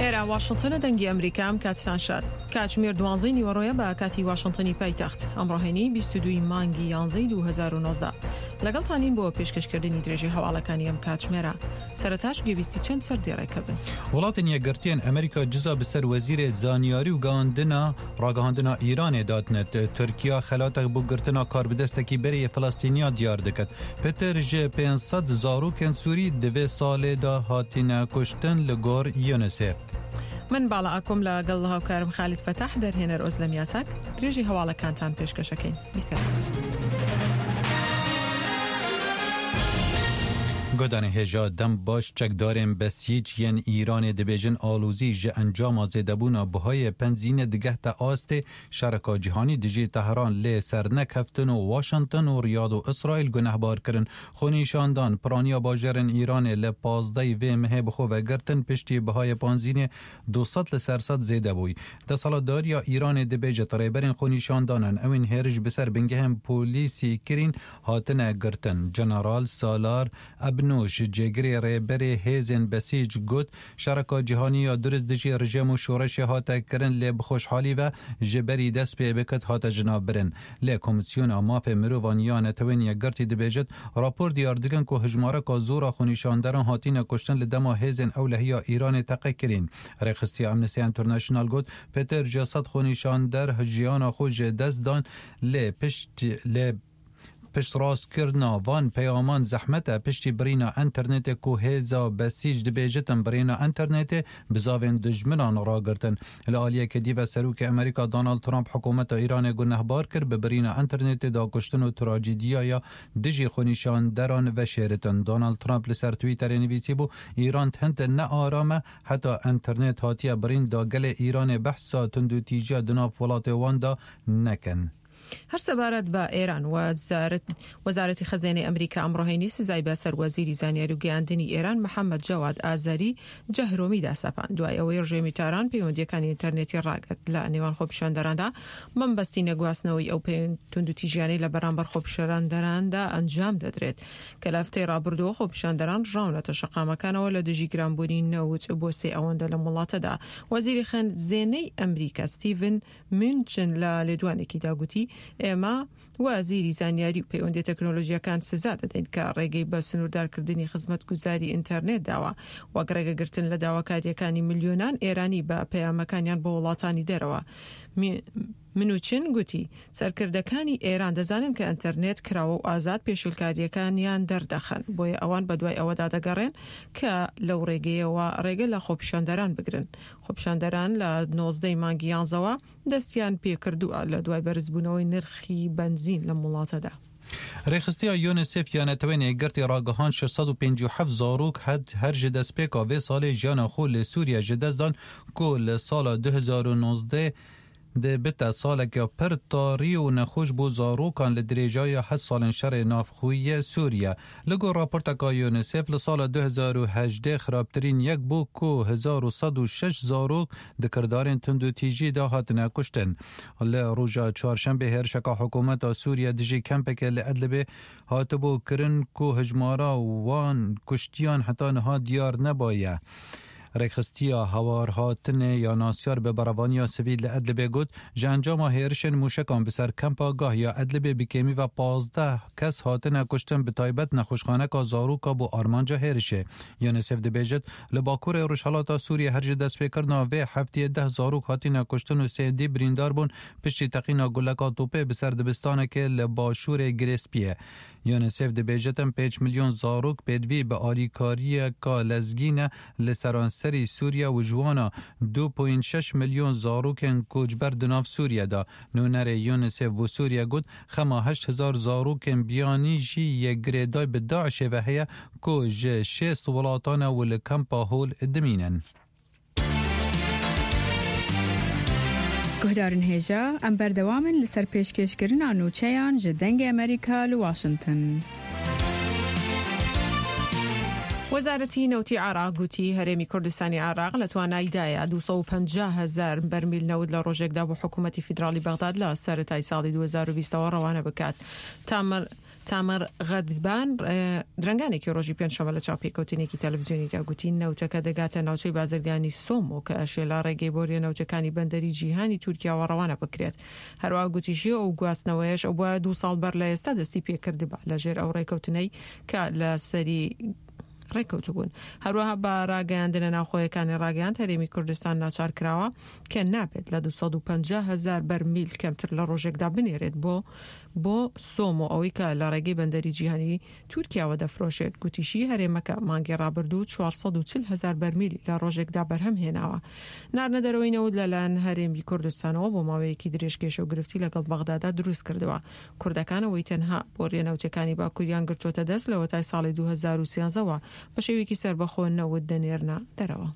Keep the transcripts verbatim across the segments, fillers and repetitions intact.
ئێرە واشنگتنە، دەنگی ئەمریکا، ئەم کاتتان شاد. کاتژمێر دوانزەی نیوەڕۆیە بە کاتی واشنگتنی پایتەخت. ئەمڕۆ هەینی، بیست و دووی مانگی یانزەی دوو هەزار و نۆزدە. لەگەڵتانین بۆ پێشکەشکردنی درێژەی هەواڵەکانی ئەم کاتژمێرە. سەرەتاش گوێبیستی چەند سەر دێڕێکە بن. Welatên Yekgirtiyên Amerîka ciza bi ser wezîrê zanyarî û gihandina ragihandina Îranê datnet. Tirkiya xelatek bo girtina karbidestekî berê yê Filistîniya diyar diket. Pitir ji pênc sed zarokên Sûrî di vê salê de hatine kuştin li gor UNICEF. من باڵا ئاکۆم لەگەڵ هاوکارم خالد فەتاح، دەرهێنەر ئۆزلەم یاساک، درێژەی هەواڵەکانتان پێشکەشەکەین. بیسەر. Guhdarên hêja dem baş. Çekdarên Besîc yên Îranê dibêjin alozî ji encama zêdebûna buhayê benzînê digehte astê. Şereka cîhanî dijî Tehran lê sernekeftin û Washington û Riyad û Îsraîl gunehbar kirin. Xwenîşandan piraniya bajarên Îranê li pazdehê vê mehê bi xwe ve girtin piştî bihayê benzînê du sed li ser sed zêde bûyî. Desthilatdariya Îranê dibêjit, rêberên xwenîşandanan ewên hêriş bi ser bingehên polîsî kirîn hatine girtin. General Salar Ebnûş, cêgirê rêberê hêzên Besîc, got, şereka cîhanî ya durist dijî rejîm û şoreşê hate kirin, lê bi xweşhalî ve ji berî dest pê bikit hate jinabirin. Lê Komîsyona Mafê Mirovan ya Netewên Yekgirtî dibêjit, rapor diyar dikin ku hijmareka zor a xwenîşanderan hatine kuştin li dema hêzên ewlehiya Îranê teqe kirîn. Rêxistiya Amnesty International got, pêtir ji sed xwenîşander jiyana xwe ji dest dan, lê pişt, lê piştrastkirina van peyaman zehmet e. Piştî birîna înternetê ku hêza Besîc dibêjitin birîna înternetê, bizavên dijminan ragirtin. Li aliyekê dî ve Serokê Amerîka Donald Trump hikûmeta Îranê gunehbar kir, bi birîna înternetê de kuştin û trajediya ya dijî xwenîşanderan veşêritin. Donald Trump li ser Twitterê nivîsîbû, Îran hind ne aram e, heta înternet hatiye birîn da gelê Îranê behsa tundûtîjiya di nav welatê wan de nekin. هەر سەبارەت بە ئێران، وەزارەت-، وەزارەتی خەزێنەی ئەمریکا ئەمڕۆ هەینی سزای بەسەر وەزیری زانیاری و گەیاندنی ئێران محەممەد جەواد ئازەری جەهرۆمی داسەپاند، دوای ئەوەی ڕژێمی تاران پەیوەندیەکانی ئینتەرنێتی ڕاگرت لە نێوان خۆپیشاندەراندا، مەبەستی نەگواستنەوەی ئەو پەیوەند توندوتیژیانەی لە بەرامبەر خۆپیشاندەراندا ئەنجام دەدرێت، کە لە هەفتەی ڕابردووە خۆپیشاندەران ڕاونەتە شەقامەکانەوە لە دژی گرانبوونی نەوت بۆ سێ ئەوەندە لە وڵاتەدا. وەزیری خەزێنەی ئەمریکا ستیڤن مونچن لە لێدوانێکیدا گوتی، ئێمە وەزیری زانیاری و پەیوەندی تەکنۆلۆژیەکان سزا دەدەین کە ڕێگەی بە سنووردارکردنی خزمەتگوزاری ئینتەرنێت داوە، وەک ڕێگەگرتن لە داواکاریەکانی ملیۆنان ئێرانی بە پەیامەکانیان بۆ وڵاتانی دەرەوە. می-، منوچن گوتی، سەرکردەکانی ئێران دەزانن کە ئینتەرنێت کراوە و ئازاد پێشیلکاریەکانیان دەردەخەن، بۆیە ئەوان بە دوای ئەوەدا دەگەڕێن کە لەو ڕێگەیەوە ڕێگە لە خۆپیشاندەران بگرن. خۆپیشاندەران لە نۆزدەی مانگی یانزەوە دەستیان پێکردووە لە دوای بەرزبوونەوەی نرخی بەنزین لەم وڵاتەدا. Rêxistiya UNICEF ya Netewên Yekgirtî ragihand şeş sed û pêncî û heft zarok het-, her ji destpêka vê salê jiyana xwe li Sûriye ji dest dan, ku li sala du hezar û nozdeh dê bite saleke pir tarî û nexweş bo zarokan li dirêjaya heft salên şerê navxweyî ye Sûriye. Li gor raporteka UNICEF, li sala du hezar û hejdeh xirabtirîn yek bû ku hezar û sed û şeş zarok di kirdarên tundûtîjî de hatine kuştin. Li roja çarşembê hêrişeka hikûmeta Sûriye dijî kempekê li Idlibê hatibû kirin ku hijmara wan kuştiyan heta niha diyar nebaye. Rêxistiya Hewarhatinê ya Nasyar bi berevaniya sivîl li Idlibê got, ji encama hêrişên mûşekan bi ser kempa Gah ya Idlibê bi kêmî ve pazdeh kes hatine kuştin, bi taybet nexweşxaneka zaroka bû armanca hêrişê. UNICEF dibêjit, li bakurê rojhilata Sûriyê her ji destpêkirina vê heftiyê deh zarok hatine kuştin û sê dî birîndar bûn piştî teqîna guleka topê bi ser dibistanekê li başûrê Girêspiyê. UNICEF dibêjit, em pênc milyon zarok pêdivî bi alîkariyeka lezgî ne li seranserî Sûriye û ji wana du point şeş milyon zarokên koçber di nav Sûriye de. Nûnerê UNICEF bo Sûriye got, xema heşt hezar zarokên biyanî jî yê girêdayî bi DAIŞê ve heye ku ji şêst welatan e û li kempa Hol dimînin. Guhdarên hêja, em berdewam in li ser pêşkêşkirina nûçeyan ji Dengê Amerîka li Washington. وەزارەتی نەوتی عێراق گوتی، هەرێمی کوردستانی عێراق لە توانایدایە دوو سەد و پەنجا هەزار بەرمیل نەوت لە ڕۆژێکدا بۆ حکوومەتی فیدراڵی بەغداد لە سەرەتای ساڵی دوو هەزار و بیستەوە ڕەوانە بکات. تامر تامر غەدبان درەنگانێکی ڕۆژی پێنجشەممە لە چاوپێکەوتنێکی تەلەڤزیۆنیدا گوتی، نەوتەکە دەگاتە ناوچەی بازرگانی سۆمۆ کە ئەشێ لە ڕێگەی بۆریە نەوتەکانی بەندەری جیهانی تورکیاوە ڕەوانە بکرێت. هەروە گوتیشی، ئەو گواستنەوەیەش ئەو بە دوو ساڵ بەر لە ئێستا دەستی پێکردبا لە ژێر ئەو ڕێکەوتنەی کە لە سەری ڕێککەوتبوون. هەروەها بە ڕاگەیاندنە ناوخۆیەکانی ڕاگەیاند، هەرێمی کوردستان ناچار کراوە کە نابێت لە دوو سەد و پەنجا هەزار بەرمیل کەمتر لە ڕۆژێکدا بنێرێت بۆ، بۆ سۆمۆ، ئەوەی کە لە ڕێگەی بەندەری جیهانی تورکیاوە دەفرۆشێت. گوتیشی، هەرێمەکە مانگی ڕابردوو چوار سەد و چل هەزار بەرمیلی لە ڕۆژێکدا بەرهەم هێناوە. ناردنە دەرەوەی نەوت لەلایەن هەرێمی کوردستانەوە بۆ ماوەیەکی درێژ کێشە و گرفتی لەگەڵ بەغدادا دروست کردووە. کوردەکان ئەوەی تەنها بۆ ڕێنەوتەکانی باکووریان گرتووەتە دەست لە وەتای ساڵی دوو هەزار و سیانزەوە بە شێوەیەکی سەربەخۆ نەوت دەنێرنە دەرەوە.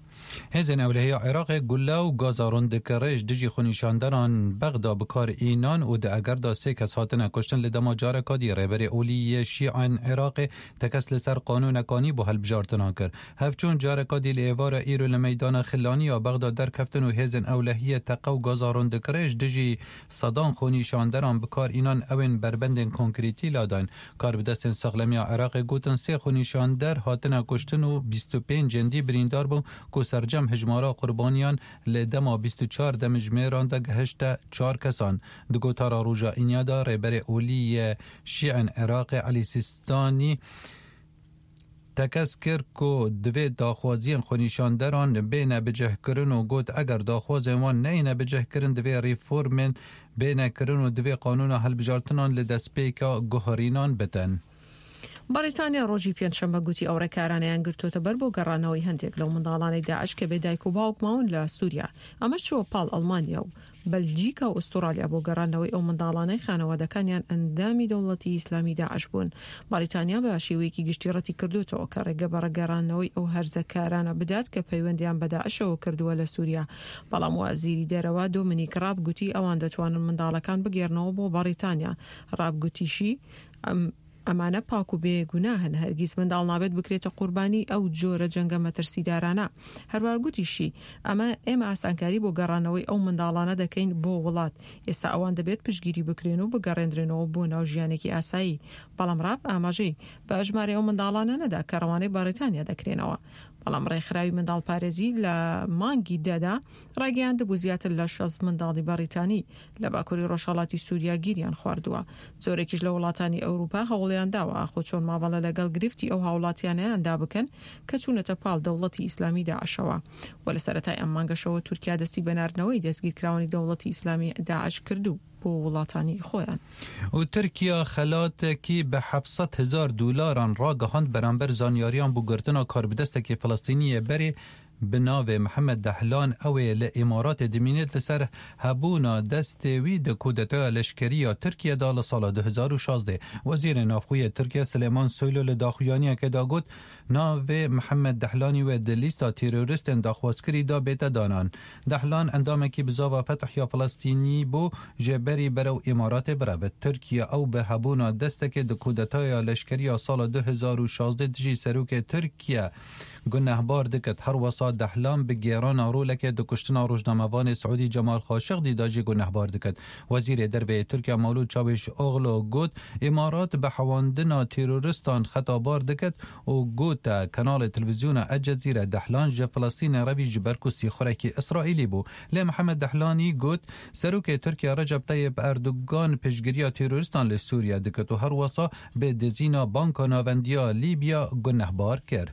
Hêzên ewlehiya Iraqê gule û gaza rûndikirêj dijî xwenîşanderan Bexda bi kar înan û di eger de sê kes hatine kuştin. Li dema careka dî Rêberê Olî yê Şîên Iraqê tekez li ser qanûneka nî bo hilbijartinan kir. Hevçûn careka dî li êvara îro li meydana Xilaniya Bexda derkeftin û hêzên ewlehiyê teqe û gaza rûndikirêj dijî sedan xwenîşanderan bi kar înan, ewên berbendên konkrîtî ladan. Karbidestên saxlemiya Iraqê gotin sê xwenîşander hatine kuştin û bîst û pênc ên dî birîndar bûn ku sercem hijmara qurbaniyan li dema bîst û çar demjimêran de gehişte çar kesan. Di gotara roja îniya de Rêberê Olî yê Şîên Iraqê Elî Sîstanî tekez kir ku divê daxwaziyên xwenîşanderan bêne bicihkirin û got, eger daxwazên wan neyne bicihkirin, divê reformên bêne kirin û divê qanûna hilbijartinan li destpêka guherînan bitin. بەڕیتانیا ڕۆژی پێنجشەممە گوتی ئەو ڕێکارانەیان گرتوتە بەر بۆ گەڕانەوەی هەندێک لەو منداڵانەی داعش کە بێ دایک و باوک ماون لە سووریا. ئەمەش چووە پاڵ ئەڵمانیا و بەلجیکا و ئوسترالیا بۆ گەڕانەوەی ئەو منداڵانەی خانەوادەکانیان ئەندامی دەوڵەتی ئیسلامی داعش بوون. بەڕیتانیا بە شێوەیەکی گشتی ڕەتی کردوتەوە کە ڕێگە بە ڕێگەڕانەوەی ئەو هەرزەکارانە بدات کە پەیوەندیان بە داعشەوە کردووە لە سووریا. بەڵام وەزیری دەرەوە دۆمینیک ڕاب گوتی ئەوان دەتوانن منداڵەکان بگێڕنەوە بۆ بەڕیتانیا. ڕاب گوتیشی، ئەم ئەمانە پاک و بێ گوناهن، هەرگیز منداڵ نابێت بکرێتە قوربانی ئەو جۆرە جەنگە مەترسیدارانە. هەروەها گوتیشی، ئەمە ئێمە ئاسانکاری بۆ گەڕانەوەی ئەو منداڵانە دەکەین بۆ وڵات. ئێستا ئەوان دەبێت پشتگیری بکرێن و بگەڕێندرێنەوە بۆ ناو ژیانێکی ئاسایی. بەڵام ڕاب ئاماژەی بە ژمارەی ئەو منداڵانە نەدا کە ڕەوانەی بەڕیتانیا دەکرێنەوە. بەڵام ڕێکخراوی منداڵپارێزی لە مانگی دەدا ڕایگەیاندبوو زیاتر لە شەست منداڵی بەڕیتانی لە باکووری ڕۆژهەڵاتی سووریا گیریان خواردووە. زۆرێکیش لە وڵاتانی ئەوروپا هەوڵیان داوە ئاخۆ چۆن مامەڵە لەگەڵ گرفتی ئەو هاوڵاتیانەیاندا بکەن کە چوونەتە پاڵ دەوڵەتی ئیسلامی داعشەوە. و لە سەرەتای ئەم مانگەشەوە تورکیا دەستی بە ناردنەوەی دەستگیرکراوانی دەوڵەتی ئیسلامی داعش کردوو بۆ وڵاتانی خۆیان. و تورکیا xelatekî bi heft sed hezar dolaran ragihand beramber zanyariyan bo girtina karbidestekî Filistînî yê berê bi navê Mihemed Dehlan, ew ê li Îmaratê dimînêt, li ser hebûna destê wî di kudetaya leşkerî ya Tirkiye de li sala du hezar û şazdeh. Wezîrê Navxwe yê Tirkiye Silêman Soylu li daxuyaniyekê de got, navê Mihemed Dehlanî wê di lîsta terorîstên daxwazkirî de bête danan. Dehlan endamekî bizava Fetih ya Filistînî bû, jê berî berew Îmaratê birevit. Tirkiye ew bi hebûna destekê di kudetaya leşkerî ya sala du hezar û şazdeh dijî serokê Tirkiye gunehbar dikit. Her wesa Dehlan bi gêrana rolekê di kuştina rojnamevanê Siûdî Cemal Xaşiqdî de jî gunehbar dikit. Wezîrê Derve yê Tirkiye Mewlûd Çavuşoglu got, Îmarat bi hewandina terorîstan xetabar dikit û gote kanalê televîzyona El Cezîre Dehlan ji Filistînê re bî ji ber ku sîxurekî Îsraîlî bû. Lê Mihemed Dehlanî got, Serokê Tirkiye Recep Tayyip Erdogan piştgiriya terorîstan li Sûriye dikit û her wesa bi dizîna Banka Navendiya Lîbya gunehbar kir.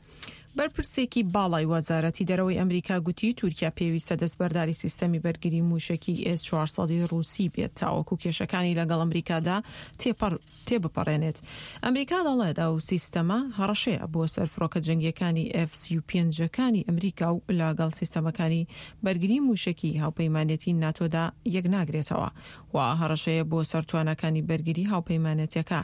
بەرپرسێکی باڵای وەزارەتی دەرەوەی ئەمریکا گوتی تورکیا پێویستە دەستبەرداری سیستەمی بەرگری موشەکی ئێس چوار سەد ی ڕووسی بێت تاوەکو کێشەکانی لەگەڵ ئەمریکادا تێپەڕ تێبپەڕێنێت. ئەمریکا دەڵێت ئەو سیستەمە هەڕەشەیە بۆ سەر فڕۆکە جەنگیەکانی ئێف سی و پێنج ەکانی ئەمریکا و لەگەڵ سیستەمەکانی بەرگری موشەکی هاوپەیمانێتی ناتۆدا یەک ناگرێتەوە و هەڕەشەیە بۆ سەر توانەکانی بەرگری هاوپەیمانێتەکە.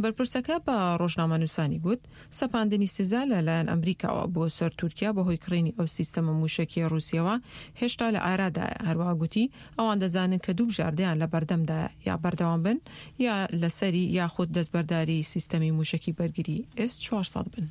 بەرپرسەکە بە ڕۆژنامەنووسانی گوت، سەپاندنی سزا لەلایەن ئەمریکاوە بۆ سەر تورکیا بەهۆی کڕینی ئەو سیستەمە موشەکیە ڕووسیەوە هێشتا لە ئارادایە. هەروەها گوتی، ئەوان دەزانن کە دوو بژاردەیان لە بەردەمدایە، یا بەردەوام بن یا لەسەری یاخود دەستبەرداری سیستەمی موشەکی بەرگری ئێس چوار سەد بن.